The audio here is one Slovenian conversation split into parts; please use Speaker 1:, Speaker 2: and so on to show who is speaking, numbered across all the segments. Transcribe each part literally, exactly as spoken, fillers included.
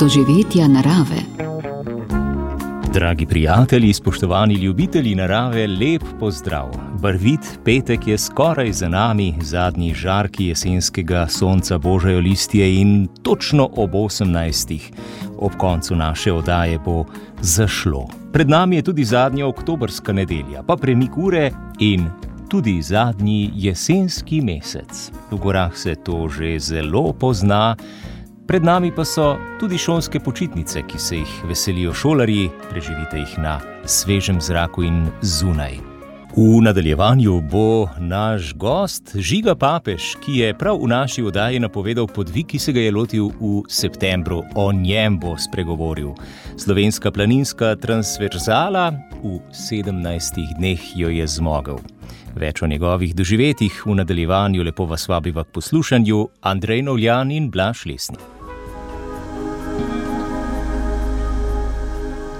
Speaker 1: doživetja narave.
Speaker 2: Dragi prijatelji, spoštovani ljubitelji narave, lep pozdrav. Barvit petek je skoraj za nami, zadnji žarki jesenskega sonca božajo listje in točno ob osemnajstih ob koncu naše oddaje bo zašlo. Pred nami je tudi zadnja oktobrska nedelja, pa premik ure in tudi zadnji jesenski mesec. V gorah se to že zelo pozna. Pred nami pa so tudi šolske počitnice, ki se jih veselijo šolarji, preživite jih na svežem zraku in zunaj. V nadaljevanju bo naš gost Žiga Papež, ki je prav v naši oddaji napovedal podvig, ki se ga je lotil v septembru. O njem bo spregovoril. Slovenska planinska transverzala, v sedemnajstih dneh jo je zmogel. Več o njegovih doživetjih v nadaljevanju, lepo vas vabiva k poslušanju. Andrej Novljan in Blaž Lesnik.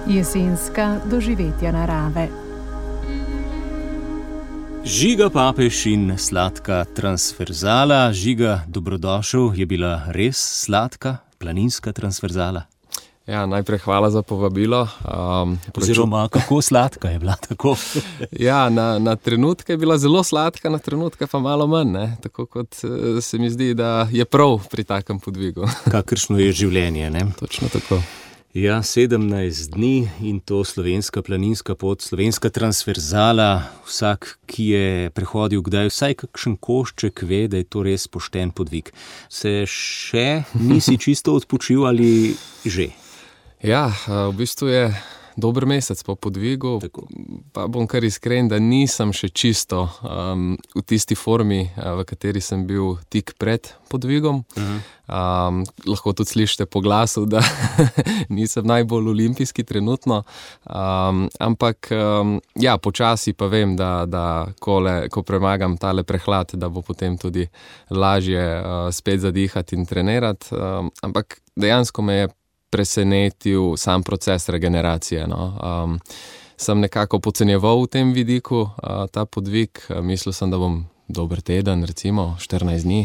Speaker 3: Jesenska doživetja narave.
Speaker 2: Žiga Papež in sladka transverzala. Žiga, dobrodošel. Je bila res sladka planinska transverzala?
Speaker 4: Ja, najprej hvala za povabilo. Um,
Speaker 2: Oziroma, kako sladka je bila tako?
Speaker 4: ja, na, na trenutke je bila zelo sladka, na trenutke pa malo manj, ne? Tako kot se mi zdi, da je prav pri takem podvigu.
Speaker 2: Kakršno je življenje, ne?
Speaker 4: Točno tako.
Speaker 2: Ja, sedemnajst dni in to slovenska planinska pot, slovenska transverzala. Vsak, ki je prehodil kdaj vsaj kakšen košček, ve, da je to res pošten podvig. Se še nisi čisto odpočil ali že?
Speaker 4: Ja, v bistvu je dober mesec po podvigu, tako. Pa bom kar iskren, da nisem še čisto um, v tisti formi, v kateri sem bil tik pred podvigom. Uh-huh. Um, lahko tudi slišite po glasu, da nisem najbolj olimpijski trenutno, um, ampak um, ja, počasi pa vem, da, da kole, ko premagam tale prehlad, da bo potem tudi lažje uh, spet zadihati in trenirati, um, ampak dejansko me je presenetil sam proces regeneracije. No. Um, sem nekako podcenjeval v tem vidiku uh, ta podvig, mislil sem, da bom dober teden, recimo štirinajst dni,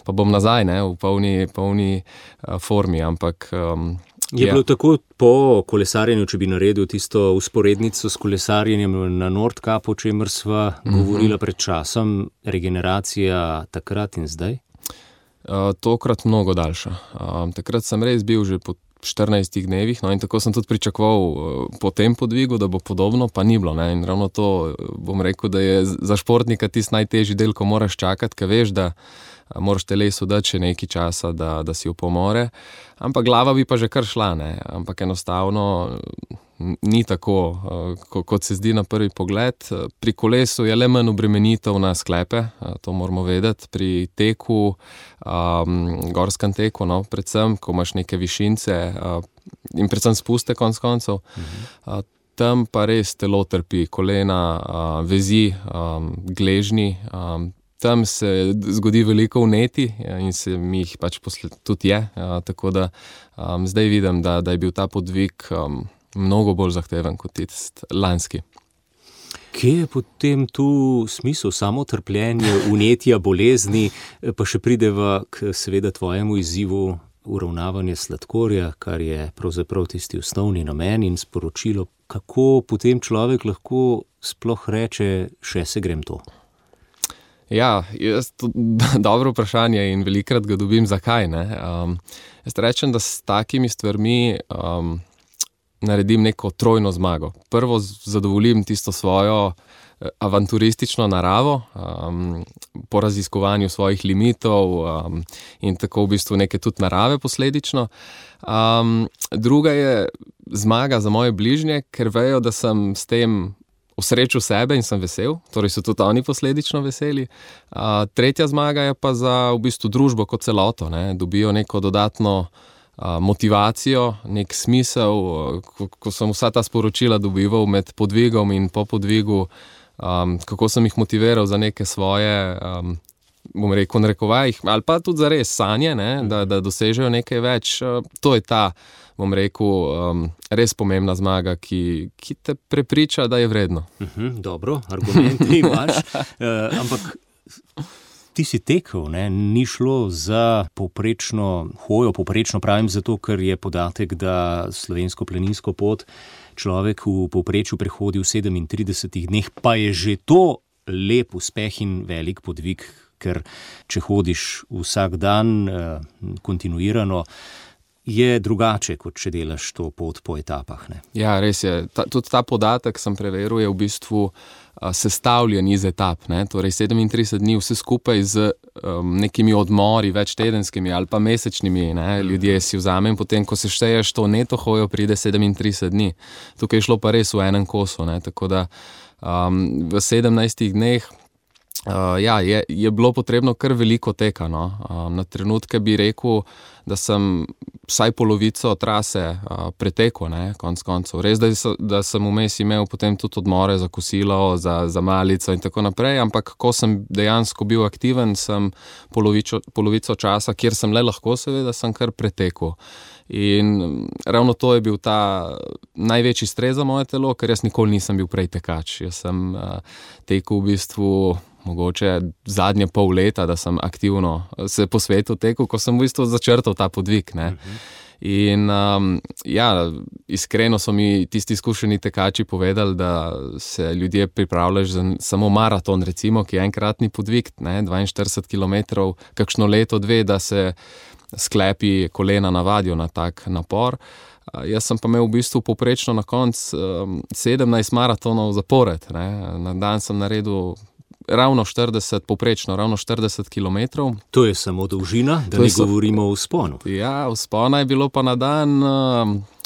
Speaker 4: pa bom nazaj, ne, v polni, polni uh, formi, ampak um,
Speaker 2: je bilo tako po kolesarjenju, če bi naredil tisto usporednico s kolesarjenjem na Nordkapu, o čemer sva mm-hmm. govorila pred časom, regeneracija takrat in zdaj?
Speaker 4: Uh, tokrat mnogo daljša. Uh, takrat sem res bil že po štirinajstih dnevih, no in tako sem tudi pričakoval uh, po tem podvigu, da bo podobno, pa ni bilo, ne, in ravno to bom rekel, da je za športnika tisti najtežji del, ko moraš čakati, ker veš, da uh, moraš telesu dati še nekaj časa, da, da si upomore, ampak glava bi pa že kar šla, ne, ampak enostavno ni tako, uh, kot se zdi na prvi pogled. Pri kolesu je le manj obremenitev na sklepe, uh, to moramo vedeti, pri teku, um, gorskem teku, no, predvsem, ko imaš neke višince uh, in predvsem spuste konc koncev, uh-huh. uh, tam pa res telo trpi, kolena, uh, vezi, um, gležnji, um, tam se zgodi veliko vneti in se mi jih pač posled, tudi je, uh, tako da um, zdaj vidim, da, da je bil ta podvig um, mnogo bolj zahteven kot tisti lanski.
Speaker 2: Kje je potem tu smisel samotrpljenja, vnetja, bolezni, pa še prideva k seveda tvojemu izzivu uravnavanja sladkorja, kar je pravzaprav tisti osnovni namen in sporočilo, kako potem človek lahko sploh reče, še se grem to?
Speaker 4: Ja, jaz to dobro vprašanje in velikrat ga dobim, zakaj, ne. Um, jaz rečem, da s takimi stvarmi um, naredim neko trojno zmago. Prvo zadovoljim tisto svojo avanturistično naravo, um, po raziskovanju svojih limitov um, in tako v bistvu neke tudi narave posledično. Um, druga je zmaga za moje bližnje, ker vejo, da sem s tem osrečil sebe in sem vesel, torej so tudi oni posledično veseli. Uh, tretja zmaga je pa za v bistvu družbo kot celoto, ne, dobijo neko dodatno motivacijo, nek smisel, ko, ko sem vsa ta sporočila dobival med podvigom in po podvigu, um, kako sem jih motiviral za neke svoje, um, bom rekel, narekovajih, ali pa tudi za res sanje, ne, da, da dosežejo nekaj več. Uh, to je ta, bom rekel, um, res pomembna zmaga, ki, ki te prepriča, da je vredno.
Speaker 2: Uh-huh, dobro, argumenti imaš, uh, ampak ti si tekel, ne? Ni šlo za povprečno hojo, povprečno pravim zato, ker je podatek, da slovensko planinsko pot človek v povprečju prehodi v sedemintridesetih dneh, pa je že to lep uspeh in velik podvig, ker če hodiš vsak dan eh, kontinuirano, je drugače, kot če delaš to pot po etapah. Ne?
Speaker 4: Ja, res je. Ta, tudi ta podatek sem preveril, je v bistvu a, sestavljen iz etap. Ne? Torej sedemintrideset dni vse skupaj z um, nekimi odmori, večtedenskimi ali pa mesečnimi. Ne? Ljudje si vzamem, potem ko se šteješ to neto hojo, pride sedemintrideset dni. Tukaj je šlo pa res v enem kosu. Ne? Tako da um, v sedemnajstih dneh Uh, ja, je, je bilo potrebno kar veliko teka. No. Um, na trenutke bi rekel, da sem vsaj polovico trase uh, pretekel, ne, konc koncev. Res, da, da sem vmes imel potem tudi odmore za kosilo, za, za malico in tako naprej, ampak ko sem dejansko bil aktiven, sem polovico, polovico časa, kjer sem le lahko, seveda, sem kar pretekel. In ravno to je bil ta največji stres za moje telo, ker jaz nikoli nisem bil prej tekač. Jaz sem uh, tekel v bistvu mogoče zadnje pol leta, da sem aktivno se po svetu tekel, ko sem v bistvu začrtal ta podvig. Ne? Uh-huh. In um, ja, iskreno so mi tisti izkušeni tekači povedali, da se ljudje pripravljajo za samo maraton, recimo, ki je enkratni podvig, ne, dvainštirideset kilometrov, kakšno leto, dve, da se sklepi kolena navadijo na tak napor. Uh, jaz sem pa imel v bistvu poprečno na koncu um, sedemnajst maratonov zapored. Ne. Na dan sem naredil ravno štirideset, poprečno, ravno štirideset kilometrov.
Speaker 2: To je samo dolžina, da ne govorimo o vzponu.
Speaker 4: Ja, vzpona je bilo pa na dan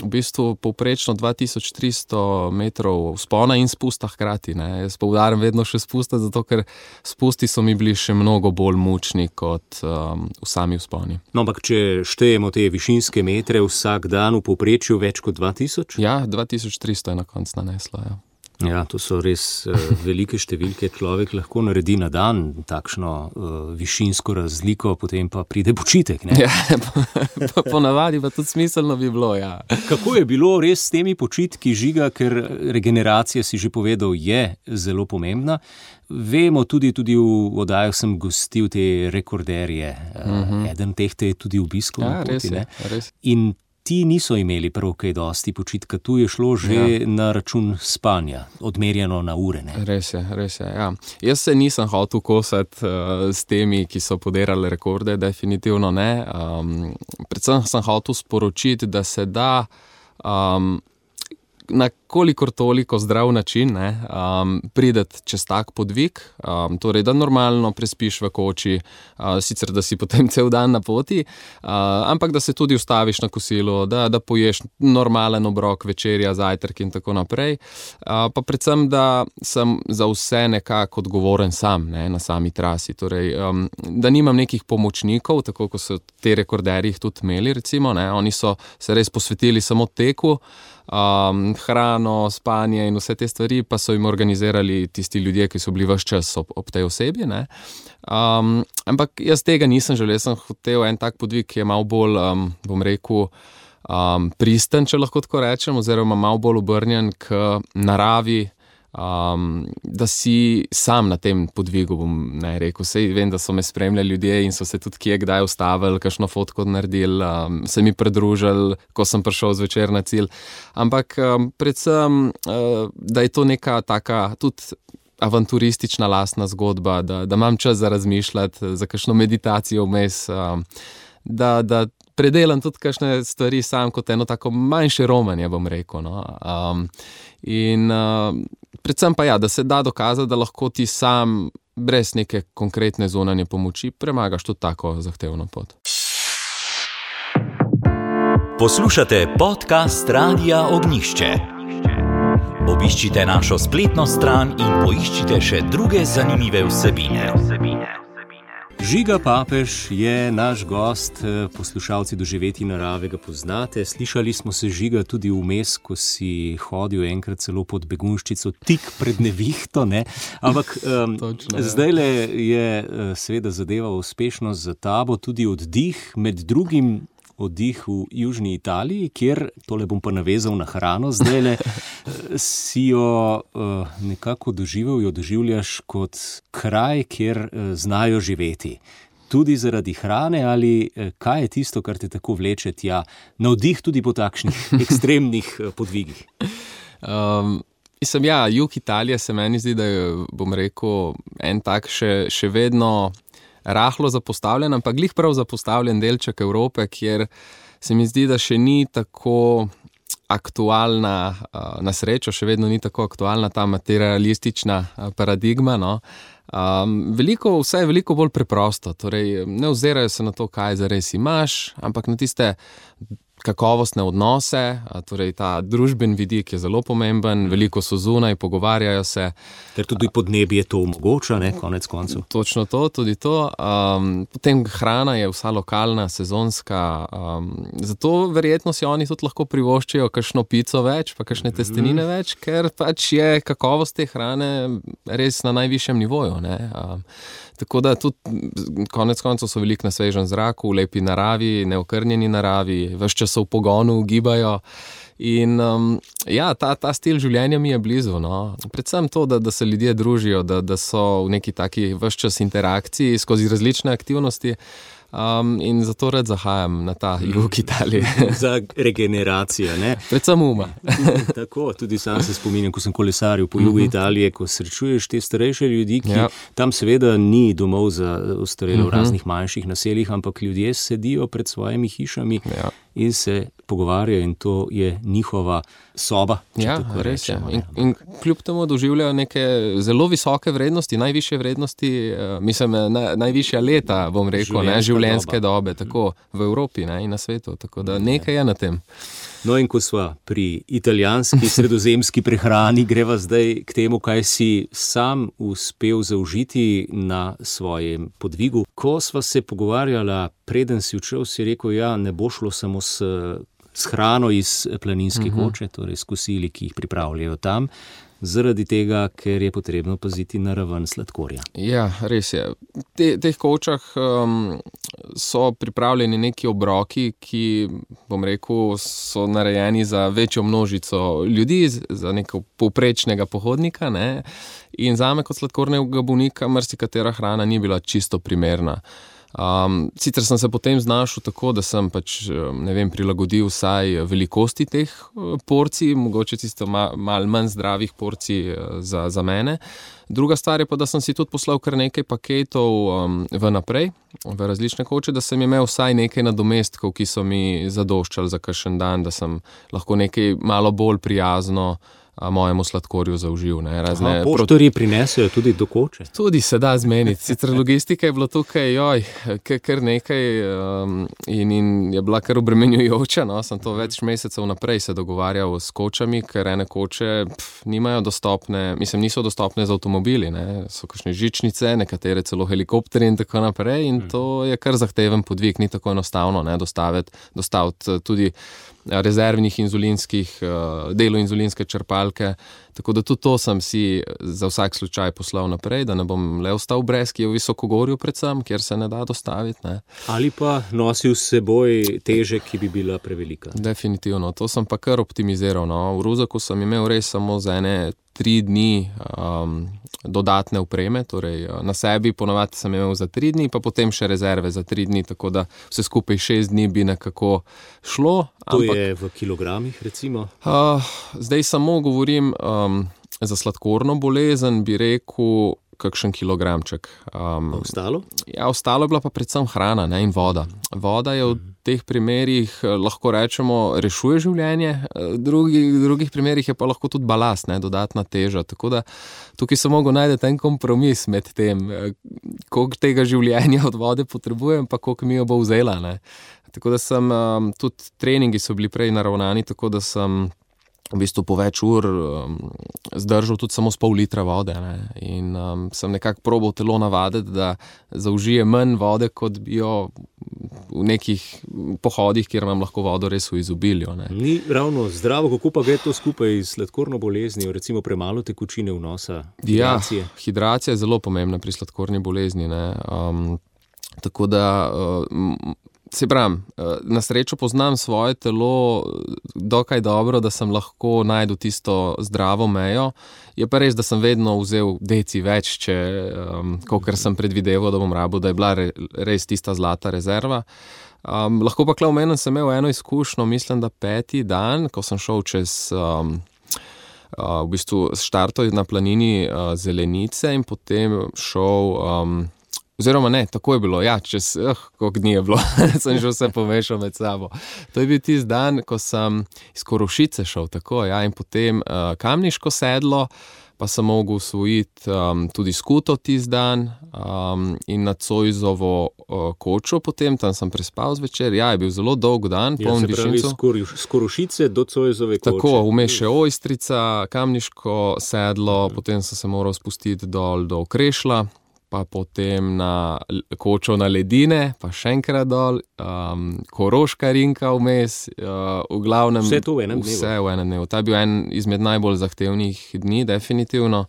Speaker 4: v bistvu poprečno dva tisoč tristo metrov vzpona in spusta hkrati. Ne. Jaz poudarjam vedno še spusta, zato ker spusti so mi bili še mnogo bolj mučni kot um, v sami vzponi.
Speaker 2: No, ampak če štejemo te višinske metre vsak dan v povprečju več kot dva tisoč?
Speaker 4: Ja, dva tisoč tristo je na koncu naneslo, ja.
Speaker 2: Ja, to so res uh, velike številke. Človek lahko naredi na dan takšno uh, višinsko razliko, potem pa pride počitek. Ne?
Speaker 4: Ja, po, ponavadi pa tudi smiselno bi bilo, ja.
Speaker 2: Kako je bilo res s temi počitki, Žiga, ker regeneracija, si že povedal, je zelo pomembna. Vemo tudi, tudi v oddajah sem gostil te rekorderje. Uh-huh. Eden teh te je tudi obiskal
Speaker 4: ja,
Speaker 2: na poti.
Speaker 4: Res je,
Speaker 2: ne?
Speaker 4: Res.
Speaker 2: In ti niso imeli prav kaj dosti počitka, tu je šlo že ja. na račun spanja, odmerjeno na ure. Ne?
Speaker 4: Res je, res je, ja. Jaz se nisem hotel kosati uh, s temi, ki so podirali rekorde, definitivno ne. Um, predvsem sem hotel sporočiti, da se da um, na kolikor toliko zdrav način ne, um, prideti čez tak podvig, um, torej da normalno prespiš v koči, uh, sicer da si potem cel dan na poti, uh, ampak da se tudi ustaviš na kosilu, da, da poješ normalen obrok, večerja, zajtrk in tako naprej. Uh, pa predvsem, da sem za vse nekako odgovoren sam ne, na sami trasi, torej um, da nimam nekih pomočnikov, tako kot so te rekorderji tudi imeli, recimo, ne, oni so se res posvetili samo teku, Um, hrano, spanje in vse te stvari pa so jim organizirali tisti ljudje, ki so bili ves čas ob, ob tej osebi. Ne? Um, ampak jaz tega nisem želel, jaz sem hotel en tak podvig, ki je malo bolj, um, bom rekel, um, pristen, če lahko tako rečem, oziroma malo bolj obrnjen k naravi, um, da si sam na tem podvigu, bom ne rekel. Sej vem, da so me spremljali ljudje in so se tudi kje kdaj ustavili, kakšno fotko naredili, um, se mi pridružili, ko sem prišel zvečer na cilj. Ampak um, predvsem, uh, da je to neka taka tudi avanturistična lastna zgodba, da, da imam čas za razmišljati, za kakšno meditacijo vmes, um, da, da predelam tudi kakšne stvari sam kot eno tako manjše romanje, bom rekel. No. Um, in uh, predvsem pa ja, da se da dokazati, da lahko ti sam brez neke konkretne zunanje pomoči premagaš tudi tako zahtevno pot.
Speaker 1: Poslušate podcast Radia Ognjišče. Obiščite našo spletno stran in poiščite še druge zanimive vsebine.
Speaker 2: Žiga Papež je naš gost, poslušalci Doživetij narave ga poznate. Slišali smo se, Žiga, tudi vmes, ko si hodil enkrat celo pod Begunjščico, tik pred nevihto, ne? Ampak um, zdajle je seveda zadeva uspešno za tabo, tudi oddih, med drugim oddih v južni Italiji, kjer, tole bom pa navezal na hrano zdajle, si jo uh, nekako doživel, jo doživljaš kot kraj, kjer uh, znajo živeti. Tudi zaradi hrane ali uh, kaj je tisto, kar te tako vleče tja, navdih tudi po takšnih ekstremnih uh, podvigih?
Speaker 4: Um, mislim, ja, jug Italije se meni zdi, da je, bom rekel, en tak še, še vedno rahlo zapostavljen, ampak glih prav zapostavljen delček Evrope, kjer se mi zdi, da še ni tako aktualna, na srečo še vedno ni tako aktualna ta materialistična paradigma, no. Um, veliko, vse je veliko bolj preprosto, torej ne ozirajo se na to, kaj zares imaš, ampak na tiste kakovostne odnose, torej ta družben vidik je zelo pomemben, veliko so zunaj, pogovarjajo se.
Speaker 2: Ker tudi podnebje to omogoča, ne, konec koncev.
Speaker 4: Točno to, tudi to. Um, potem hrana je vsa lokalna, sezonska, um, zato verjetno si oni tudi lahko privoščijo kakšno pico več, pa kakšne testenine mm. več, ker pač je kakovost te hrane res na najvišjem nivoju, ne. Um, tako da tudi konec koncev so veliko na svežem zraku, v lepi naravi, neokrnjeni naravi, ves čas v pogonu, gibajo in um, ja, ta, ta stil življenja mi je blizu, no. Predvsem to, da, da se ljudje družijo, da, da so v neki taki ves čas interakciji skozi različne aktivnosti. Um, in zato rad zahajam na ta jug Italije.
Speaker 2: Za regeneracijo, ne?
Speaker 4: Predvsem uma.
Speaker 2: Tako, tudi sam se spominjam, ko sem kolesaril po jugu Italije, ko srečuješ te starejše ljudi, ki ja. Tam seveda ni domov za ostarele v raznih manjših naseljih, ampak ljudje sedijo pred svojimi hišami ja. In se pogovarjajo in to je njihova soba.
Speaker 4: Ja, res je. In, in kljub temu doživljajo neke zelo visoke vrednosti, najvišje vrednosti, mislim, na, najvišja leta, bom rekel, ne, življenjske dobe, tako v Evropi, ne, in na svetu, tako da nekaj je na tem.
Speaker 2: No in ko sva pri italijanski sredozemski prehrani, greva zdaj k temu, kaj si sam uspel zaužiti na svojem podvigu. Ko sva se pogovarjala, preden si odšel, si rekel, ja, ne bo šlo samo s, s hrano iz planinske uh-huh. koče, torej s kosili, ki jih pripravljajo tam, zaradi tega, ker je potrebno paziti na raven sladkorja.
Speaker 4: Ja, res je. Te, teh kočah um, so pripravljeni neki obroki, ki, bom rekel, so narejeni za večjo množico ljudi, za nekega povprečnega pohodnika, ne? In zame kot sladkornega bolnika marsikatera hrana ni bila čisto primerna. Um, sicer sem se potem znašel tako, da sem pač, ne vem, prilagodil vsaj velikosti teh porcij, mogoče tisto ma, malo manj zdravih porcij za, za mene. Druga stvar je pa, da sem si tudi poslal kar nekaj paketov um, v naprej, v različne koče, da sem imel vsaj nekaj nadomestkov, ki so mi zadoščali za kakšen dan, da sem lahko nekaj malo bolj prijazno mojemu sladkorju zaužil. Ne, razne
Speaker 2: Aha, poštarji proti... prinesejo tudi do koče?
Speaker 4: Tudi se da zmeniti. Sicer logistika je bila tukaj, joj, kar nekaj um, in, in je bila kar obremenjujoča. No? Sem to več mesecev naprej se dogovarjal s kočami, ker ene koče pf, nimajo dostopne, mislim, niso dostopne z avtomobili. Ne? So kakšne žičnice, nekatere celo helikopteri in tako naprej in to je kar zahteven podvig, ni tako enostavno, ne, dostaviti, dostaviti tudi rezervnih inzulinskih, delo inzulinske črpalke, tako da tudi to sem si za vsak slučaj poslal naprej, da ne bom le ostal brez, ki je v Visokogorju predvsem, kjer se ne da dostaviti. Ne.
Speaker 2: Ali pa nosil s seboj teže, ki bi bila prevelika.
Speaker 4: Definitivno, to sem pa kar optimiziral. No. V Ruzaku sem imel res samo za ene tri dni um, dodatne opreme, torej na sebi ponavadi sem imel za tri dni, pa potem še rezerve za tri dni, tako da vse skupaj šest dni bi nekako šlo.
Speaker 2: To ampak, je v kilogramih recimo?
Speaker 4: Uh, zdaj samo govorim um, za sladkorno bolezen, bi rekel kakšen kilogramček. Um,
Speaker 2: ostalo?
Speaker 4: Ja, ostalo je bila pa predvsem hrana, ne, in voda. Voda je v teh primerih, lahko rečemo, rešuje življenje, v drugih, drugih primerih je pa lahko tudi balast, ne, dodatna teža. Tako da tukaj sem mogel najti en kompromis med tem, koliko tega življenja od vode potrebujem, pa koliko mi jo bo vzela. Ne. Tako da sem, um, tudi treningi so bili prej naravnani, tako da sem v bistvu po več ur um, zdržal tudi samo s pol litra vode. Ne. In um, sem nekako probal telo navaditi, da zaužije manj vode, kot bi jo v nekih pohodih, kjer imam lahko vodo res v izobilju. Ne.
Speaker 2: Ni ravno zdravo, kako pa gre to skupaj s sladkorno boleznijo, recimo premalo tekočine vnosa, hidracije?
Speaker 4: Ja, hidracija je zelo pomembna pri sladkorni bolezni. Ne. Um, tako da uh, se pravim, na srečo poznam svoje telo dokaj dobro, da sem lahko najdel tisto zdravo mejo. Je pa res, da sem vedno vzel deci več, če, um, kakor sem predvideval, da bom rabil, da je bila re, res tista zlata rezerva. Um, lahko pa klaumenem sem imel eno izkušnjo, mislim, da peti dan, ko sem šel čez... Um, Uh, v bistvu štartov na planini uh, Zelenice in potem šel, um, oziroma ne, tako je bilo, ja, čez, uh, koliko dni je bilo, sem že vse pomešal med sabo. To je bil tisti dan, ko sem iz Korošice šel, tako, ja, in potem uh, Kamniško sedlo, pa sem mogel usvojiti um, tudi skuto tisti dan um, in na Zoisovo uh, kočo potem, tam sem prespal zvečer. Ja, je bil zelo dolg dan,
Speaker 2: ja,
Speaker 4: poln višincev.
Speaker 2: Se pravi, z Korošice do Zoisove koče.
Speaker 4: Tako, vmes še Ojstrica, Kamniško sedlo, mhm. potem sem se moral spustiti dol do Okrešla, pa potem na kočo na Ledine, pa še enkrat dol, um, Koroška rinka vmes, uh, v glavnem...
Speaker 2: Vse to v enem dnevu?
Speaker 4: Vse v enem dnevu. Ta je bil en izmed najbolj zahtevnih dni, definitivno.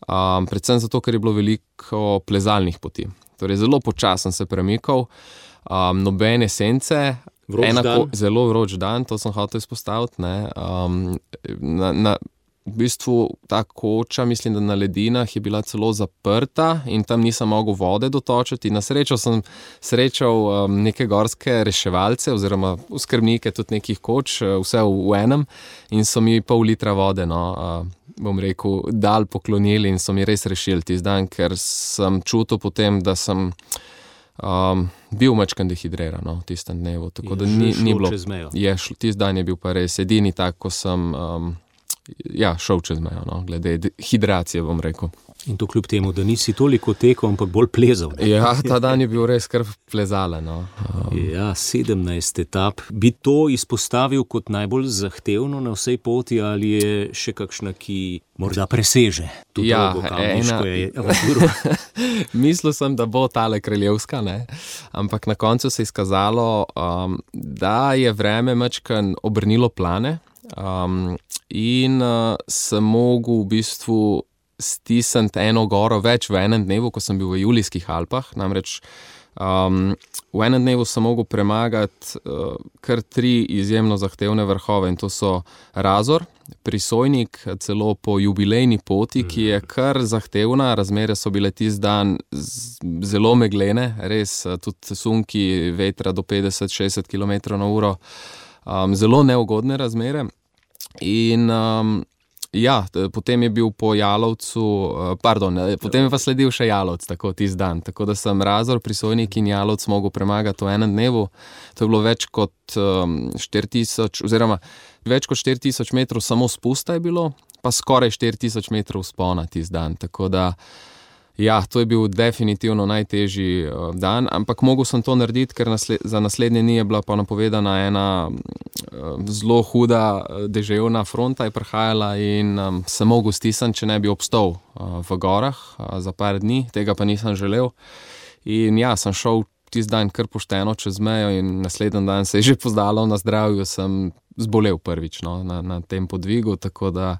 Speaker 4: Um, predvsem zato, ker je bilo veliko plezalnih poti. Torej, zelo počasen se premikal, um, nobene sence,
Speaker 2: vroč
Speaker 4: enako,
Speaker 2: dan.
Speaker 4: Zelo vroč dan, to sem hotel izpostaviti, ne. Um, na, na, V bistvu ta koča, mislim, da na Ledinah je bila celo zaprta in tam nisem mogel vode dotočiti. Na srečo sem srečal um, neke gorske reševalce oziroma skrbnike tudi nekih koč, vse v, v enem, in so mi pol litra vode, no, uh, bom rekel, dal poklonili in so mi res rešili tisti dan, ker sem čutil potem, da sem um, bil majčkeno dehidriran, no, v tistem dnevu. Tako
Speaker 2: je
Speaker 4: da ni, ni bilo.
Speaker 2: Čez mejo.
Speaker 4: Je, tisti dan je bil pa res edini tak, ko sem... Um, Ja, šel čez mejo, no, glede hidracije, bom rekel.
Speaker 2: In to kljub temu, da nisi toliko tekel, ampak bolj plezal. Ne?
Speaker 4: Ja, ta dan je bil res kar plezalen. No. Um.
Speaker 2: Ja, sedemnajst etap. Bi to izpostavil kot najbolj zahtevno na vsej poti ali je še kakšna, ki morda preseže?
Speaker 4: Ja, ena... Mislil sem, da bo tale kraljevska, ne? Ampak na koncu se je izkazalo, um, da je vreme majčkeno obrnilo plane. Um, in uh, sem mogel v bistvu stisniti eno goro več v enem dnevu, ko sem bil v Julijskih Alpah. Namreč um, v enem dnevu sem mogel premagati uh, kar tri izjemno zahtevne vrhove in to so Razor, Prisojnik, celo po jubilejni poti, ki je kar zahtevna. Razmere so bile tisti dan zelo meglene, res tudi sunki vetra do petdeset do šestdeset kilometrov na uro. Um, zelo neugodne razmere in um, ja, potem je bil po Jalovcu, uh, pardon, potem je pa sledil še Jalovc, tako tisti dan, tako da sem Razor, Prisojnik in Jalovc mogel premagati v enem dnevu. To je bilo več kot um, štiri tisoč, oziroma več kot štiri tisoč metrov samo spusta je bilo, pa skoraj štiri tisoč metrov vzpona tisti dan, tako da ja, to je bil definitivno najtežji uh, dan, ampak mogel sem to narediti, ker nasled, za naslednje dni je bila pa napovedana ena uh, zelo huda uh, deževna fronta je prihajala in um, sem mogel stisniti, če ne bi obstal uh, v gorah uh, za par dni, tega pa nisem želel. In ja, sem šel tisti dan kar pošteno čez mejo in naslednji dan se je že pozdalo na zdravju, sem zbolel prvič, no, na, na tem podvigu, tako da,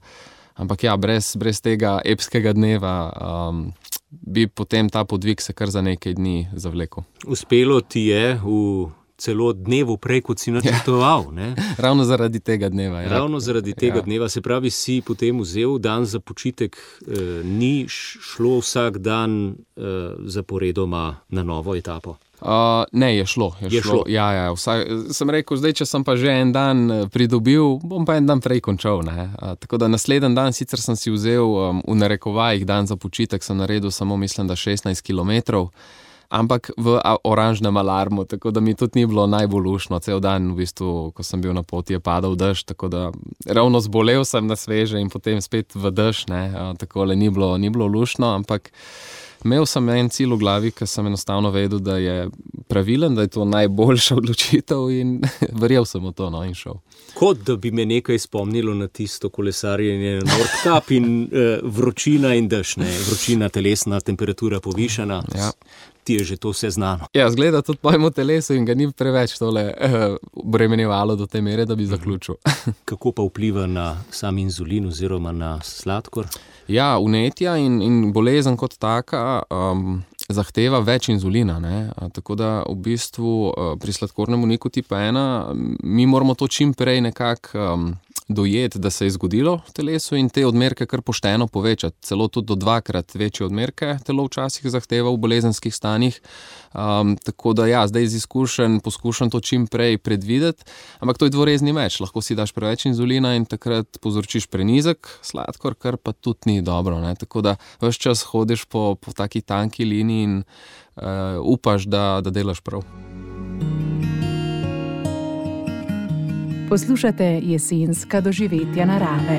Speaker 4: ampak ja, brez, brez tega epskega dneva um, bi potem ta podvig se kar za nekaj dni zavlekel.
Speaker 2: Uspelo ti je v celo dnevu prej, kot si načrtoval, ne?
Speaker 4: Ravno zaradi tega dneva. Ja.
Speaker 2: Ravno zaradi tega
Speaker 4: ja.
Speaker 2: dneva, se pravi, si potem vzel dan za počitek, eh, ni šlo vsak dan eh, zaporedoma na novo etapo?
Speaker 4: Uh, ne, je šlo. Je
Speaker 2: je šlo.
Speaker 4: šlo. Ja, ja, vsak, sem rekel, zdaj, če sem pa že en dan pridobil, bom pa en dan prej končal. Ne? Uh, tako da naslednji dan, sicer sem si vzel um, v narekovajih dan za počitek, sem naredil samo, mislim, da šestnajst kilometrov, ampak v oranžnem alarmu, tako da mi tudi ni bilo najbolj lušno. Cel dan, v bistvu, ko sem bil na poti, je padal dež, tako da ravno zbolel sem na sveže in potem spet v dež, ne? Uh, takole ni bilo, ni bilo lušno, ampak imel sem en cilj v glavi, ker sem enostavno vedel, da je pravilen, da je to najboljša odločitev in verjel sem v to, no, in šel.
Speaker 2: Kot da bi me nekaj spomnilo na tisto kolesarjenje na Nordkap in eh, vročina in dež, ne, vročina, telesna temperatura povišana.
Speaker 4: Ja.
Speaker 2: Ti je že to vse znano.
Speaker 4: Ja, zgleda tudi mojemu telesu in ga ni preveč tole eh, bremenjevalo do te mere, da bi zaključil.
Speaker 2: Kako pa vpliva na sam inzulin oziroma na sladkor?
Speaker 4: Ja, vnetja in, in bolezen kot taka um, zahteva več inzulina, ne? Tako da v bistvu pri sladkornem bolniku tipa ena mi moramo to čim prej nekako um, dojeti, da se je zgodilo v telesu in te odmerke kar pošteno povečati. Celo tudi do dvakrat večje odmerke telo včasih zahteva v bolezenskih stanjih. Um, tako da ja, zdaj iz izkušenj poskušam to čim prej predvideti, ampak to je dvorezni meč. Lahko si daš preveč inzulina in takrat povzročiš prenizek sladkor, kar pa tudi ni dobro, ne? Tako da ves čas hodiš po, po taki tanki liniji in uh, upaš, da, da delaš prav.
Speaker 3: Poslušate jesenska doživetja narave.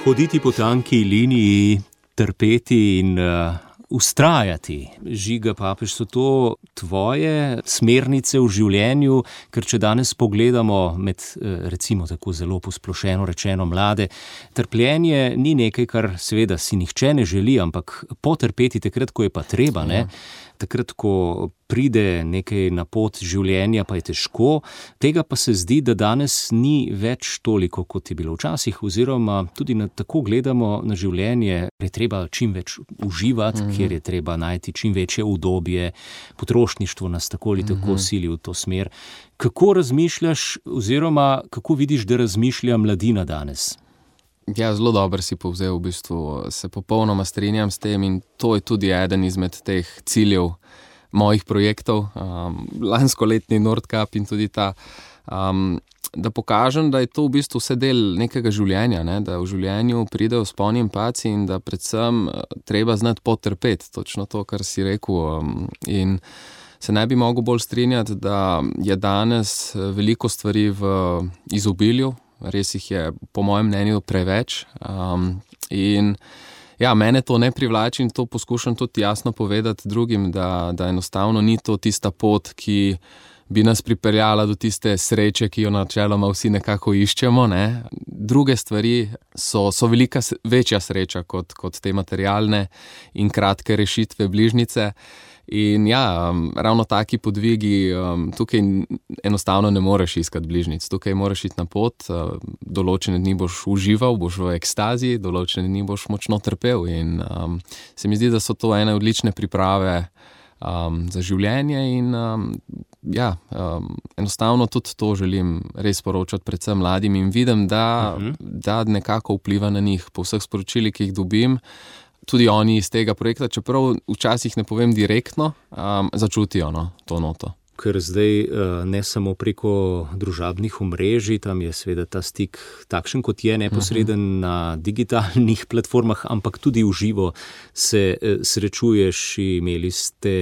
Speaker 2: Hoditi po tanki liniji, trpeti in uh, ustrajati. Žiga Papež, so to tvoje smernice v življenju, ker če danes pogledamo med, recimo tako zelo posplošeno rečeno, mlade, trpljenje ni nekaj, kar seveda si nihče ne želi, ampak potrpeti takrat, ko je pa treba, ne? Takrat, ko pride nekaj na pot življenja, pa je težko. Tega pa se zdi, da danes ni več toliko, kot je bilo včasih, oziroma tudi na, tako gledamo na življenje, je treba čim več uživati, mm-hmm. kjer je treba najti čim večje udobje, potrošništvo nas tako ali tako mm-hmm. sili v to smer. Kako razmišljaš, oziroma kako vidiš, da razmišlja mladina danes?
Speaker 4: Ja, zelo dobro si povzel, v bistvu se popolnoma strinjam s tem in to je tudi eden izmed teh ciljev mojih projektov, um, lanskoletni Nordcup in tudi ta, um, da pokažem, da je to v bistvu vse del nekega življenja, ne? Da v življenju pridejo vzponi in padci in da predvsem treba znati potrpeti, točno to, kar si rekel, um, in se ne bi mogel bolj strinjati, da je danes veliko stvari v izobilju. Res jih je, po mojem mnenju, preveč. Um, in ja, mene to ne privlači in to poskušam tudi jasno povedati drugim, da, da enostavno ni to tista pot, ki bi nas pripeljala do tiste sreče, ki jo načeloma vsi nekako iščemo, ne? Druge stvari so, so velika, večja sreča kot, kot te materialne in kratke rešitve bližnjice. In ja, um, ravno taki podvigi, um, tukaj enostavno ne moreš iskati bližnjic, tukaj moraš iti na pot, uh, določene dni boš užival, boš v ekstazi, določene dni boš močno trpel in um, se mi zdi, da so to ene odlične priprave um, za življenje in um, ja, um, enostavno tudi to želim res poročati predvsem mladim in vidim, da, uh-huh. da nekako vpliva na njih po vseh sporočilih, ki jih dobim. Tudi oni iz tega projekta, čeprav včasih ne povem direktno, um, začutijo no, to noto.
Speaker 2: Ker zdaj ne samo preko družabnih omrežij, tam je seveda ta stik takšen, kot je neposreden uh-huh. na digitalnih platformah, ampak tudi v živo se srečuješ. Imeli ste,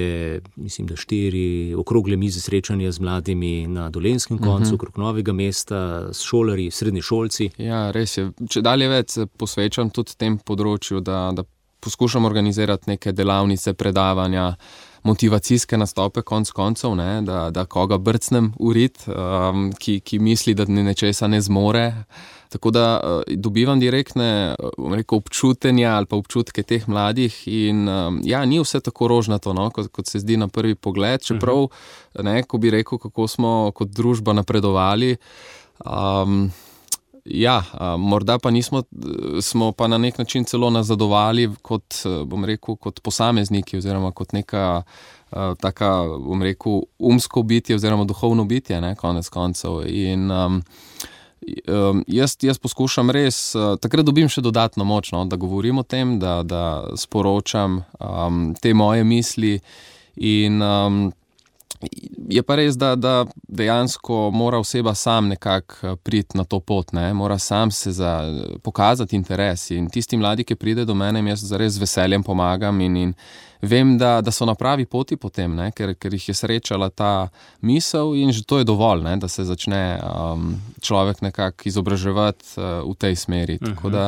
Speaker 2: mislim, da štiri okrogle mize srečanja z mladimi na Dolenjskem koncu, uh-huh. okrog Novega mesta, s šolarji, srednješolci.
Speaker 4: Ja, res je. Če dalje več posvečam tudi tem področju, da, da poskušam organizirati neke delavnice, predavanja, motivacijske nastope konc koncev, ne, da, da koga brcnem v rit, um, ki, ki misli, da nečesa ne zmore. Tako da uh, dobivam direktne um, rekel, občutenja ali pa občutke teh mladih in um, ja, ni vse tako rožnato, no, kot, kot se zdi na prvi pogled, čeprav, uh-huh. ne, ko bi rekel, kako smo kot družba napredovali, um, ja, morda pa nismo, smo pa na nek način celo nazadovali kot, bom rekel, kot posamezniki oziroma kot neka taka, bom rekel, umsko bitje oziroma duhovno bitje, ne, konec koncev. In um, jaz, jaz poskušam res, takrat dobim še dodatno moč, no, da govorim o tem, da, da sporočam um, te moje misli in um, je pa res, da, da dejansko mora oseba sam nekako priti na to pot, ne? Mora sam se za, pokazati interes in tisti mladi, ki pride do mene, jaz zares z veseljem pomagam in, in vem, da, da so na pravi poti potem, ne? Ker, ker jih je srečala ta misel in že to je dovolj, ne? Da se začne um, človek nekako izobraževati uh, v tej smeri. Uh-huh. Tako da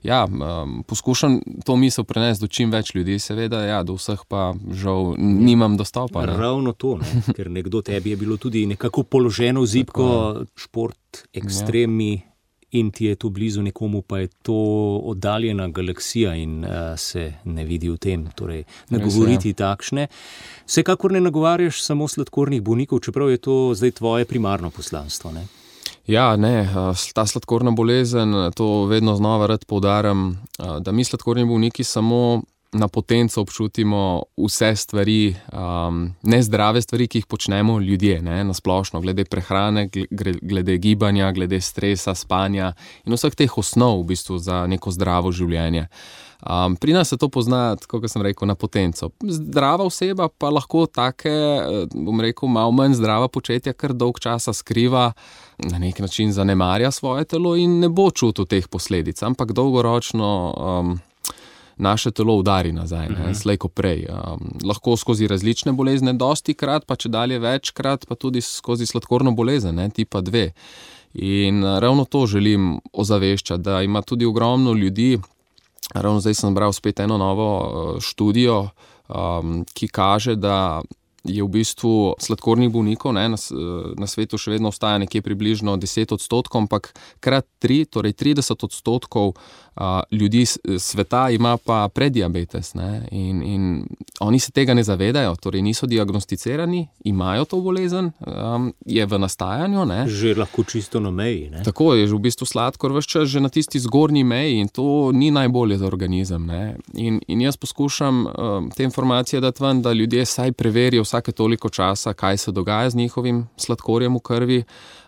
Speaker 4: ja, um, poskušam to misel prenesti do čim več ljudi, seveda, ja, do vseh pa žal nimam dostopa. Ne?
Speaker 2: Ravno to, ne? Ker nekdo tebi je bilo tudi nekako položeno v zibko, šport, ekstremi, ja. In ti je to blizu, nekomu pa je to oddaljena galaksija in uh, se ne vidi v tem, torej nagovoriti takšne. Vsekakor ne nagovarjaš samo sladkornih bolnikov, čeprav je to zdaj tvoje primarno poslanstvo, ne?
Speaker 4: Ja, ne, ta sladkorna bolezen, to vedno znova rad poudarjam, da mi sladkorni bolniki samo na potenco občutimo vse stvari, um, nezdrave stvari, ki jih počnemo ljudje, ne, na splošno, glede prehrane, glede gibanja, glede stresa, spanja in vseh teh osnov v bistvu za neko zdravo življenje. Um, pri nas se to pozna, tako kot sem rekel, na potenco. Zdrava oseba pa lahko take, bom rekel, malo manj zdrava početja kar dolg časa skriva, na nek način zanemarja svoje telo in ne bo čutil teh posledic, ampak dolgoročno um, naše telo udari nazaj, ne, uh-huh. slej ko prej. Um, lahko skozi različne bolezne, dosti krat, pa če dalje večkrat, pa tudi skozi sladkorno bolezen, ne, tipa dve. In ravno to želim ozaveščati, da ima tudi ogromno ljudi. Ravno zdaj sem bral spet eno novo študijo, um, ki kaže, da je v bistvu sladkornih bolnikov, ne, na, na svetu še vedno ostaja nekje približno deset odstotkov, ampak krat tri, torej trideset odstotkov a, ljudi sveta ima pa prediabetes, ne, in, in oni se tega ne zavedajo, torej niso diagnosticirani, imajo to bolezen, um, je v nastajanju. Ne.
Speaker 2: Že lahko čisto na meji. Ne?
Speaker 4: Tako je, že v bistvu sladkor ves čas že na tisti zgornji meji in to ni najbolje za organizem. Ne. In, in jaz poskušam um, te informacije dati ven, da ljudje saj preverijo vsake toliko časa, kaj se dogaja z njihovim sladkorjem v krvi,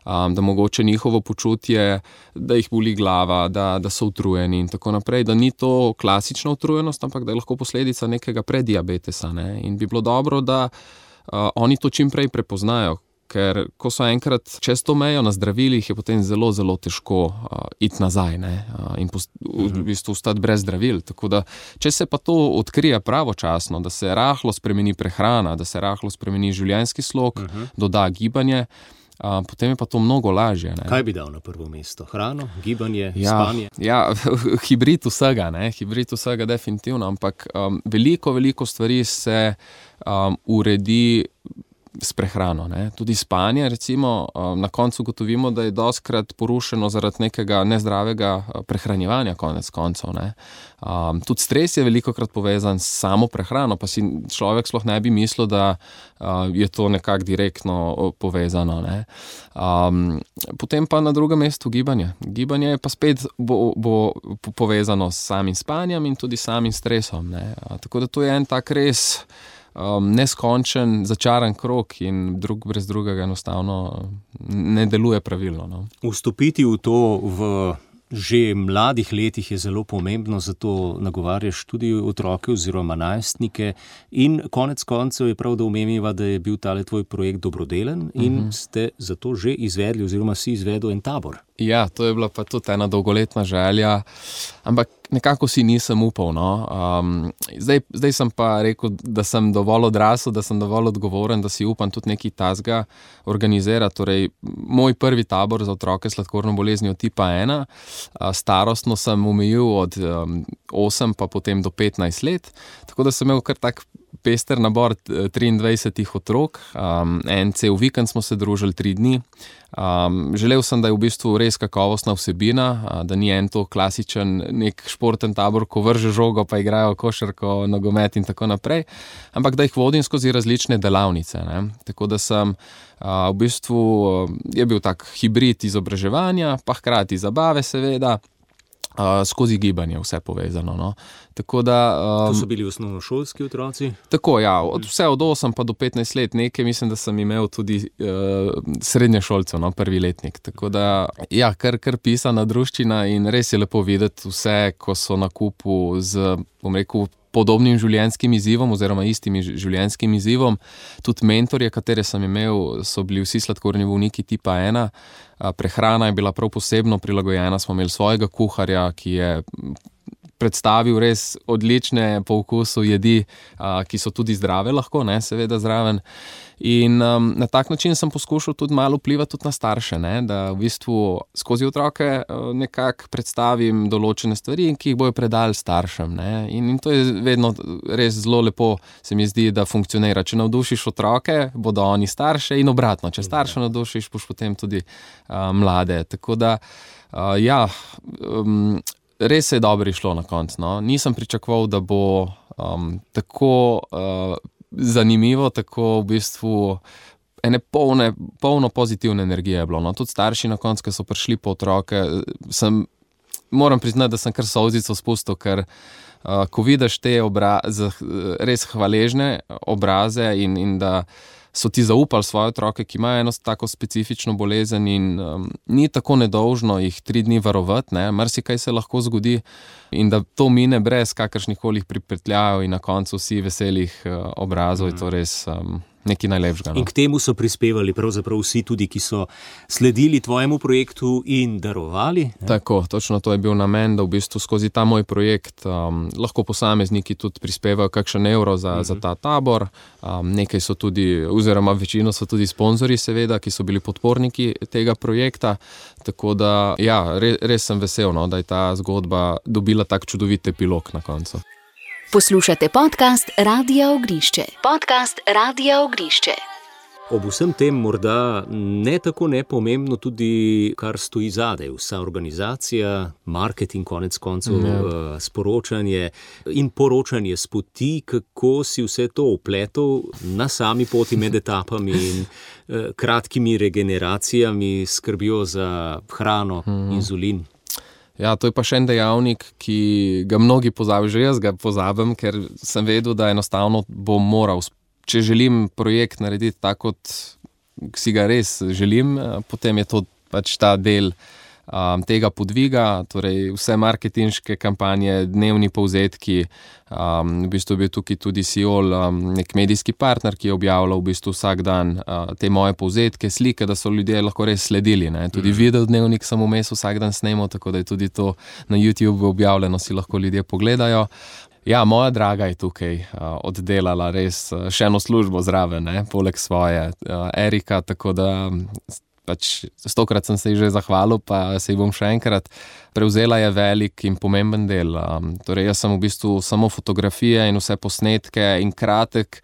Speaker 4: um, da mogoče njihovo počutje, da jih boli glava, da, da so utrujeni in tako naprej, da ni to klasična utrujenost, ampak da je lahko posledica nekega prediabetesa. Ne? In bi bilo dobro, da uh, oni to čim prej prepoznajo, ker ko so enkrat čez to mejo na zdravilih, je potem zelo, zelo težko uh, iti nazaj, ne? Uh, in post, v, v bistvu ostati brez zdravil. Tako da, če se pa to odkrije pravočasno, da se rahlo spremeni prehrana, da se rahlo spremeni življenjski slog, uh -huh. doda gibanje, uh, potem je pa to mnogo lažje. Ne?
Speaker 2: Kaj bi dal na prvo mesto? Hrano, gibanje,
Speaker 4: ja,
Speaker 2: spanje?
Speaker 4: Ja, hibrid vsega, ne? Hibrid vsega definitivno, ampak um, veliko, veliko stvari se um, uredi s prehrano, ne. Tudi spanje, recimo, na koncu gotovimo, da je dostikrat porušeno zaradi nekega nezdravega prehranjevanja konec koncev, ne. Um, tudi stres je velikokrat povezan s samo prehrano, pa si človek sploh ne bi mislil, da uh, je to nekako direktno povezano, ne. Um, potem pa na drugem mestu gibanje. Gibanje je pa spet bo, bo povezano s samim spanjem in tudi samim stresom, ne. Uh, tako da to je en tak res Um, neskončen, začaran krog in drug brez drugega enostavno ne deluje pravilno. No.
Speaker 2: Vstopiti v to v že mladih letih je zelo pomembno, zato nagovarjaš tudi otroke oziroma najstnike in konec koncev je prav, da omeniva, da je bil tale tvoj projekt dobrodelen in uh-huh. ste zato že izvedli oziroma si izvedel en tabor.
Speaker 4: Ja, to je bila pa tudi ena dolgoletna želja, ampak nekako si nisem upal. No. Um, zdaj, zdaj sem pa rekel, da sem dovolj odrasel, da sem dovolj odgovoren, da si upam tudi nekaj tazga organizirati. Torej, moj prvi tabor za otroke s sladkorno boleznijo tipa ena, starostno sem omejil od um, osem pa potem do petnajst let, tako da sem imel kar tak pester nabor triindvajsetih otrok, um, en cel vikend smo se družili tri dni. Um, želel sem, da je v bistvu res kakovostna vsebina, da ni en to klasičen nek športen tabor, ko vrže žogo pa igrajo košarko, nogomet in tako naprej, ampak da jih vodim skozi različne delavnice. Ne? Tako da sem uh, v bistvu je bil tak hibrid izobraževanja, pa hkrati zabave seveda, Uh, skozi gibanje vse povezano. No. Tako da, um,
Speaker 2: to so bili osnovnošolski otroci?
Speaker 4: Tako, ja. Od, vse od osem pa do petnajst let nekaj, mislim, da sem imel tudi uh, srednješolcev, no, prvi letnik. Tako da, ja, kar, kar pisana druščina in res je lepo videti vse, ko so na kupu z, bom rekel, podobnim življenjskim izzivom oziroma istim življenjskim izzivom. Tudi mentorje, katere sem imel, so bili vsi sladkorni bolniki tipa ena. Prehrana je bila prav posebno prilagojena, smo imeli svojega kuharja, ki je predstavil res odlične po okusu jedi, ki so tudi zdrave lahko, ne, seveda zraven. In um, na tak način sem poskušal tudi malo vplivati tudi na starše, ne, da v bistvu skozi otroke nekako predstavim določene stvari, ki jih bojo predali staršem. Ne. In, in to je vedno res zelo lepo, se mi zdi, da funkcionira. Če navdušiš otroke, bodo oni starše in obratno. Če starše navdušiš, boš potem tudi uh, mlade. Tako da, uh, ja, um, res je dobro išlo na koncu. No. Nisem pričakoval, da bo um, tako uh, zanimivo, tako v bistvu ene polne, polno pozitivne energije je bilo. No, tudi starši na koncu, ki so prišli po otroke, sem, moram priznati, da sem kar solzico spustil, ker uh, ko vidiš te obraze, res hvaležne obraze in, in da so ti zaupali svoje otroke, ki imajo eno tako specifično bolezen in um, ni tako nedolžno jih tri dni varovati, ne, marsikaj se lahko zgodi in da to mine brez kakršnikoli pripetljajev in na koncu vsi veselih uh, obrazov, mm. je to res um, nekaj najlepšega. No.
Speaker 2: In k temu so prispevali pravzaprav vsi tudi, ki so sledili tvojemu projektu in darovali. Ne?
Speaker 4: Tako, točno to je bil namen, da v bistvu skozi ta moj projekt um, lahko posamezniki tudi prispevajo kakšen evro za, mm-hmm. za ta tabor. Um, nekaj so tudi, oziroma večino so tudi sponzorji seveda, ki so bili podporniki tega projekta. Tako da, ja, res, res sem vesel, no, da je ta zgodba dobila tak čudovit epilog na koncu.
Speaker 5: Poslušate podcast Radia Ognišče. Podcast Radia Ognišče.
Speaker 2: Ob vsem tem morda ne tako nepomembno tudi, kar stoji zadaj. Vsa organizacija, marketing, konec koncev, mm. sporočanje in poročanje s poti, kako si vse to vpletel na sami poti med etapami in eh, kratkimi regeneracijami, skrbijo za hrano, mm. inzulin.
Speaker 4: Ja, to je pa še en dejavnik, ki ga mnogi pozabijo, že jaz ga pozabim, ker sem vedel, da enostavno bom moral, če želim projekt narediti tako, kot si ga res želim, potem je to pač ta del um, tega podviga, torej vse marketinške kampanje, dnevni povzetki, um, v bistvu je bil tukaj tudi Siol, um, nek medijski partner, ki je objavljal v bistvu vsak dan uh, te moje povzetke, slike, da so ljudje lahko res sledili, ne? Tudi mm. video dnevnik sem vmes vsak dan snemal, tako da je tudi to na YouTube objavljeno, si lahko ljudje pogledajo. Ja, moja draga je tukaj uh, oddelala res uh, še eno službo zraven, ne? Poleg svoje uh, Erika, tako da pač stokrat sem se ji že zahvalil, pa se ji bom še enkrat. Prevzela je velik in pomemben del. Um, torej jaz sem v bistvu samo fotografije in vse posnetke in kratek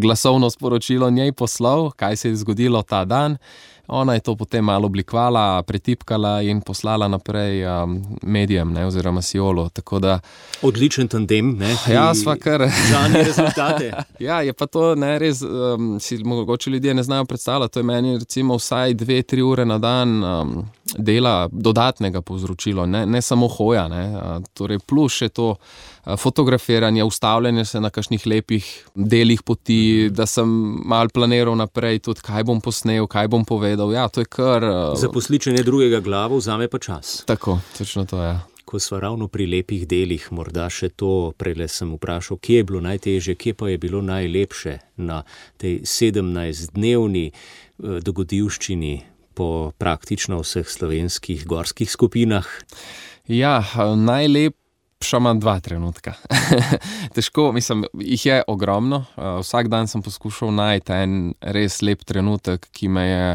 Speaker 4: glasovno sporočilo njej poslal, kaj se je zgodilo ta dan. Ona je to potem malo oblikovala, pretipkala in poslala naprej um, medijem, ne, oziroma Siolu, tako da...
Speaker 2: Odličen tandem, ne?
Speaker 4: Ja, sva kar...
Speaker 2: Žanje rezultate.
Speaker 4: Ja, je pa to, ne, res, um, si mogoče ljudje ne znajo predstavljati, to je meni recimo vsaj dve, tri ure na dan um, dela dodatnega povzročilo, ne, ne samo hoja, ne, uh, torej plus še to uh, fotografiranje, ustavljanje se na kakšnih lepih delih poti, da sem malo planiral naprej tudi, kaj bom posnel, kaj bom povedal. Ja, to je kar... Uh...
Speaker 2: Zaposličenje drugega glavo vzame pa čas.
Speaker 4: Tako, točno to je. Ja.
Speaker 2: Ko sva ravno pri lepih delih, morda še to, prele sem vprašal, kje je bilo najtežje, kje pa je bilo najlepše na tej sedemnajstdnevni uh, dogodivščini po praktično vseh slovenskih gorskih skupinah?
Speaker 4: Ja, najlep Še imam dva trenutka. Težko, mislim, jih je ogromno. Vsak dan sem poskušal najti en res lep trenutek, ki me je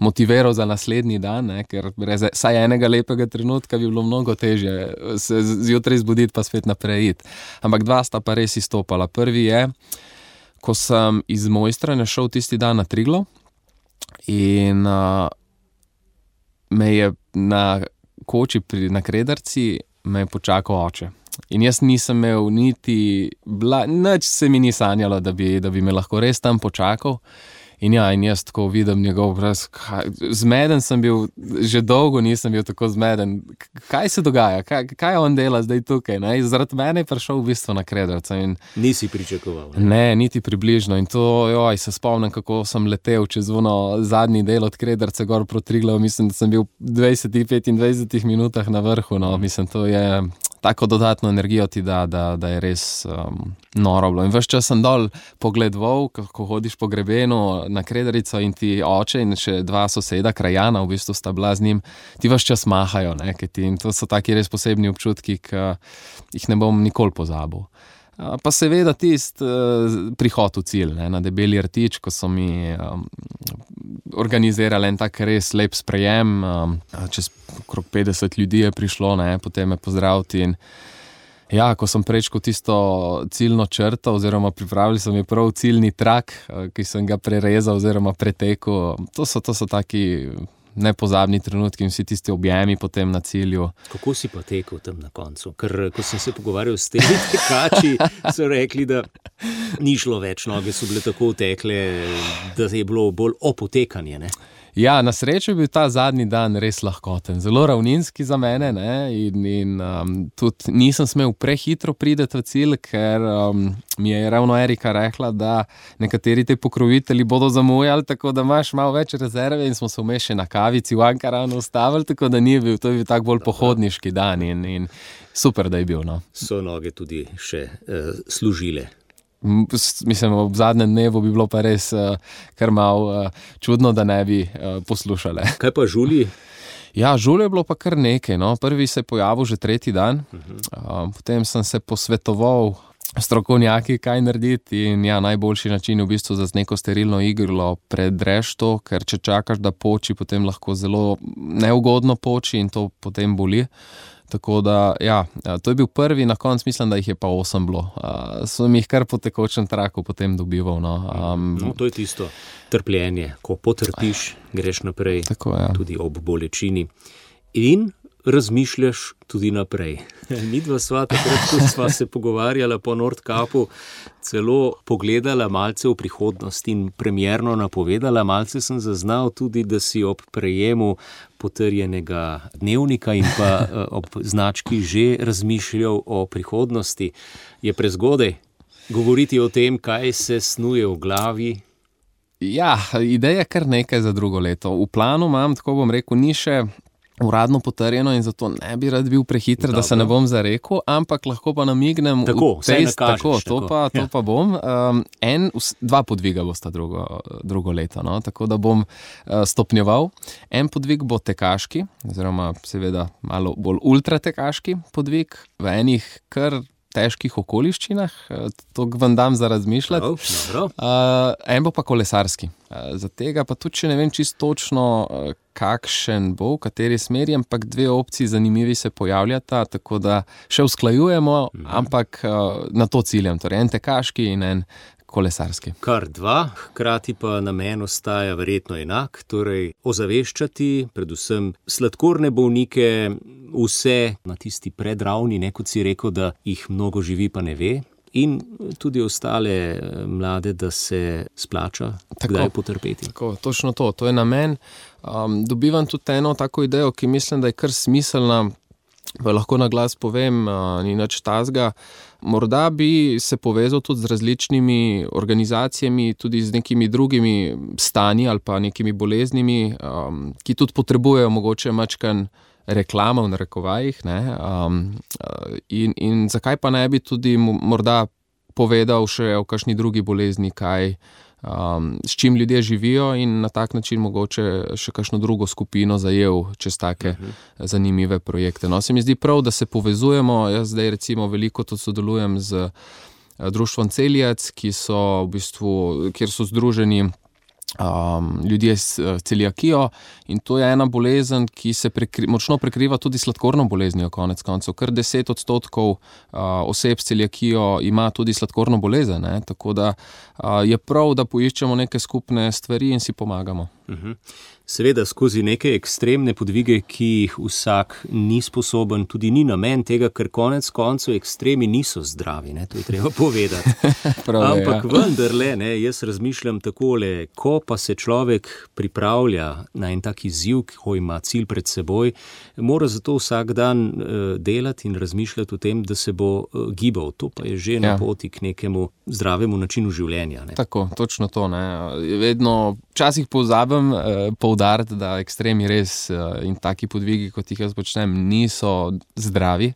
Speaker 4: motiviral za naslednji dan, ne? Ker brez vsaj enega lepega trenutka bi bilo mnogo težje se zjutraj zbuditi pa spet naprej iti. Ampak dva sta pa res izstopala. Prvi je, ko sem iz Mojstrane šel tisti dan na Triglav in uh, me je na koči pri, na Krederci me je počakal oče. In jaz nisem imel niti, bla, nič se mi ni sanjalo, da bi, da bi me lahko res tam počakal. In ja, in jaz tako vidim njegov obraz, zmeden sem bil, že dolgo nisem bil tako zmeden. Kaj se dogaja? Kaj, kaj on dela zdaj tukaj? Ne? Zaradi mene je prišel v bistvu na Krederca. In
Speaker 2: nisi pričakoval? Ne?
Speaker 4: ne, niti približno. In to, joj, se spomnim, kako sem letel čez ono zadnji del od Krederca gor proti Triglavu. Mislim, da sem bil v dvajsetih, petindvajsetih minutah na vrhu. No. Mislim, to je... Tako dodatno energijo ti da, da, da je res um, noro bilo. In ves čas sem dol pogledoval, ko hodiš po grebenu na Krederico in ti oče in še dva soseda, krajana, v bistvu sta bila z njim, ti ves čas mahajo, ne, ti, in to so taki res posebni občutki, ki jih ne bom nikoli pozabil. Pa seveda tist uh, prihod v cilj, ne, na Debeli rtič, ko so mi um, organizirali en tak res lep sprejem, um, čez okrog petdeset ljudi je prišlo, ne, potem me pozdraviti in ja, ko sem prečkal tisto ciljno črto oziroma pripravili so mi prav ciljni trak, uh, ki sem ga prerezal oziroma pretekel, to so, to so taki nepozabni trenutki in vsi tisti objemi potem na cilju.
Speaker 2: Kako si pa tekel tam na koncu? Ker ko sem se pogovarjal s temi tekači, so rekli, da ni šlo več, noge so bile tako tekle, da je bilo bolj opotekanje, ne?
Speaker 4: Ja, na srečo je bil ta zadnji dan res lahkoten, zelo ravninski za mene, ne, in, in um, tudi nisem smel prehitro prideti v cilj, ker um, mi je ravno Erika rekla, da nekateri te pokrovitelji bodo zamujali, tako da imaš malo več rezerve in smo se vmes še na kavici v Ankaranu ustavili, tako da ni bil, to je bil tak bolj pohodniški dan in, in super, da je bil, no.
Speaker 2: So noge tudi še uh, služile.
Speaker 4: Mislim, ob zadnjem dnevu bi bilo pa res uh, kar malo uh, čudno, da ne bi uh, poslušale.
Speaker 2: Kaj pa žulji?
Speaker 4: Ja, žulje je bilo pa kar nekaj, no. Prvi se je pojavil že tretji dan, uh, potem sem se posvetoval strokovnjaki, kaj narediti in ja, najboljši način je v bistvu za neko sterilno iglo predreš to, ker če čakaš, da poči, potem lahko zelo neugodno poči in to potem boli. Tako da, ja, to je bil prvi, na koncu mislim, da jih je pa osem bilo. Uh, so mi jih kar po tekočem traku potem dobival, no. Um,
Speaker 2: no, to je tisto trpljenje, ko potrpiš, greš naprej,
Speaker 4: tako, ja.
Speaker 2: Tudi ob bolečini. In razmišljaš tudi naprej. Midva sva takrat, ko sva se pogovarjala po Nordkapu, celo pogledala malce v prihodnost in premierno napovedala, malce sem zaznal tudi, da si ob prejemu potrjenega dnevnika in pa ob znački že razmišljal o prihodnosti. Je prezgodaj govoriti o tem, kaj se snuje v glavi?
Speaker 4: Ja, ideja je kar nekaj za drugo leto. V planu imam, tako bom rekel, ni še uradno potrjeno in zato ne bi rad bil prehiter, da se ne bom zarekel, ampak lahko pa namignem
Speaker 2: tako,
Speaker 4: v test,
Speaker 2: nakažeš,
Speaker 4: tako, to
Speaker 2: tako.
Speaker 4: pa, to
Speaker 2: ja.
Speaker 4: pa bom. Um, en, dva podviga bosta drugo, drugo leto, no? Tako da bom uh, stopnjeval. En podvig bo tekaški, oziroma seveda malo bolj ultratekaški podvig, v enih kar težkih okoliščinah, to vam dam za razmišljati.
Speaker 2: No,
Speaker 4: uh, en bo pa kolesarski. Uh, za tega pa tudi še ne vem čisto točno, uh, kakšen bo, v kateri smeri, ampak dve opciji zanimivi se pojavljata, tako da še usklajujemo, mhm. ampak uh, na to ciljem, torej en tekaški in en kolesarski.
Speaker 2: Kar dva, hkrati pa namen ostaja verjetno enak, torej ozaveščati predvsem sladkorne bolnike, vse na tisti predravni, ne, kot si rekel, da jih mnogo živi pa ne ve, in tudi ostale mlade, da se splača tako, kdaj potrpeti. Tako,
Speaker 4: točno to, to je namen. Um, dobivam tudi eno tako idejo, ki mislim, da je kar smiselna, pa lahko na glas povem, uh, ni nič tazga. Morda bi se povezal tudi z različnimi organizacijami, tudi z nekimi drugimi stanji ali pa nekimi boleznimi, um, ki tudi potrebujejo mogoče mačkan reklama v narekovajih, ne, um, in, in zakaj pa ne bi tudi morda povedal še o kakšni drugi bolezni, kaj, um, s čim ljudje živijo in na tak način mogoče še kakšno drugo skupino zajel čez take uh-huh. zanimive projekte. No, se mi zdi prav, da se povezujemo, jaz zdaj recimo veliko to sodelujem z društvom Celiac, ki so v bistvu, kjer so združeni Um, ljudje s uh, celiakijo in to je ena bolezen, ki se prekri, močno prekriva tudi sladkorno boleznijo konec koncev. Kar deset odstotkov uh, oseb s celiakijo ima tudi sladkorno bolezen, ne? Tako da uh, je prav, da poiščemo neke skupne stvari in si pomagamo.
Speaker 2: Uh-huh. Seveda skozi neke ekstremne podvige, ki jih vsak ni sposoben, tudi ni namen tega, ker konec koncev ekstremi niso zdravi, ne? To je treba povedati.
Speaker 4: Prav,
Speaker 2: ampak
Speaker 4: ja.
Speaker 2: vendarle, ne, jaz razmišljam takole, ko pa se človek pripravlja na en tak izziv, ko ima cilj pred seboj, mora zato vsak dan uh, delati in razmišljati o tem, da se bo uh, gibal. To pa je že ja. na poti k nekemu zdravemu načinu življenja. Ne?
Speaker 4: Tako, točno to. Ne? Vedno, včasih pozabim uh, poudariti, da ekstremi res uh, in taki podvigi, kot jih jaz počnem, niso zdravi.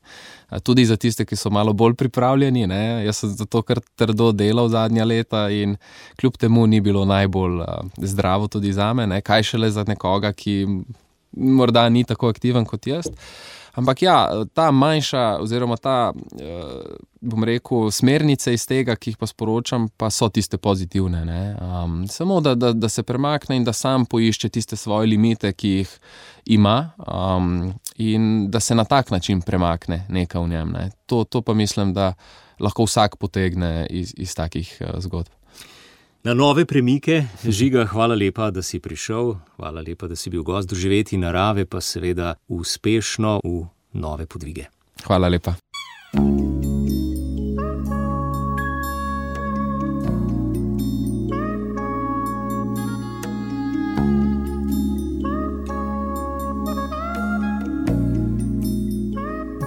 Speaker 4: Tudi za tiste, ki so malo bolj pripravljeni, ne? Jaz sem zato kar trdo delal zadnja leta in kljub temu ni bilo najbolj uh, zdravo tudi zame, ne? Kaj šele za nekoga, ki morda ni tako aktiven kot jaz. Ampak ja, ta manjša oziroma ta, uh, bom rekel, smernice iz tega, ki jih pa sporočam, pa so tiste pozitivne. Ne? Um, samo, da, da, da se premakne in da sam poišče tiste svoje limite, ki jih ima um, in da se na tak način premakne nekaj v njem. Ne? To, to pa mislim, da lahko vsak potegne iz, iz takih uh, zgodb.
Speaker 2: Na nove premike. Žiga, hvala lepa, da si prišel, hvala lepa, da si bil gost Doživetij narave, pa seveda uspešno v nove podvige.
Speaker 4: Hvala lepa.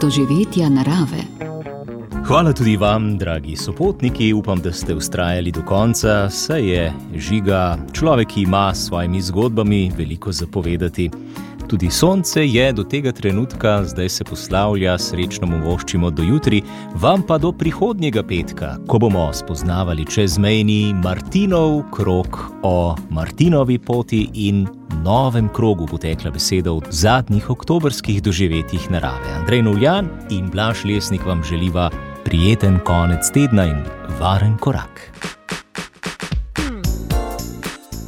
Speaker 5: Doživetja narave.
Speaker 2: Hvala tudi vam, dragi sopotniki, upam, da ste vztrajali do konca, saj je Žiga človek, ki ima s svojimi zgodbami veliko zapovedati. Tudi sonce je do tega trenutka, zdaj se poslavlja, srečno mu voščimo do jutri, vam pa do prihodnjega petka, ko bomo spoznavali čezmejni Martinov krog, o Martinovi poti in novem krogu bo tekla beseda v zadnjih oktobrskih doživetjih narave. Andrej Novljan in Blaž Lesnik vam želiva prijeten konec tedna in varen korak.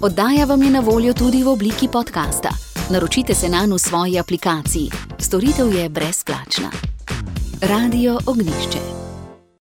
Speaker 5: Oddaja vam je na voljo tudi v obliki podcasta. Naročite se nanj v svoji aplikaciji. Storitev je brezplačna. Radio Ognjišče.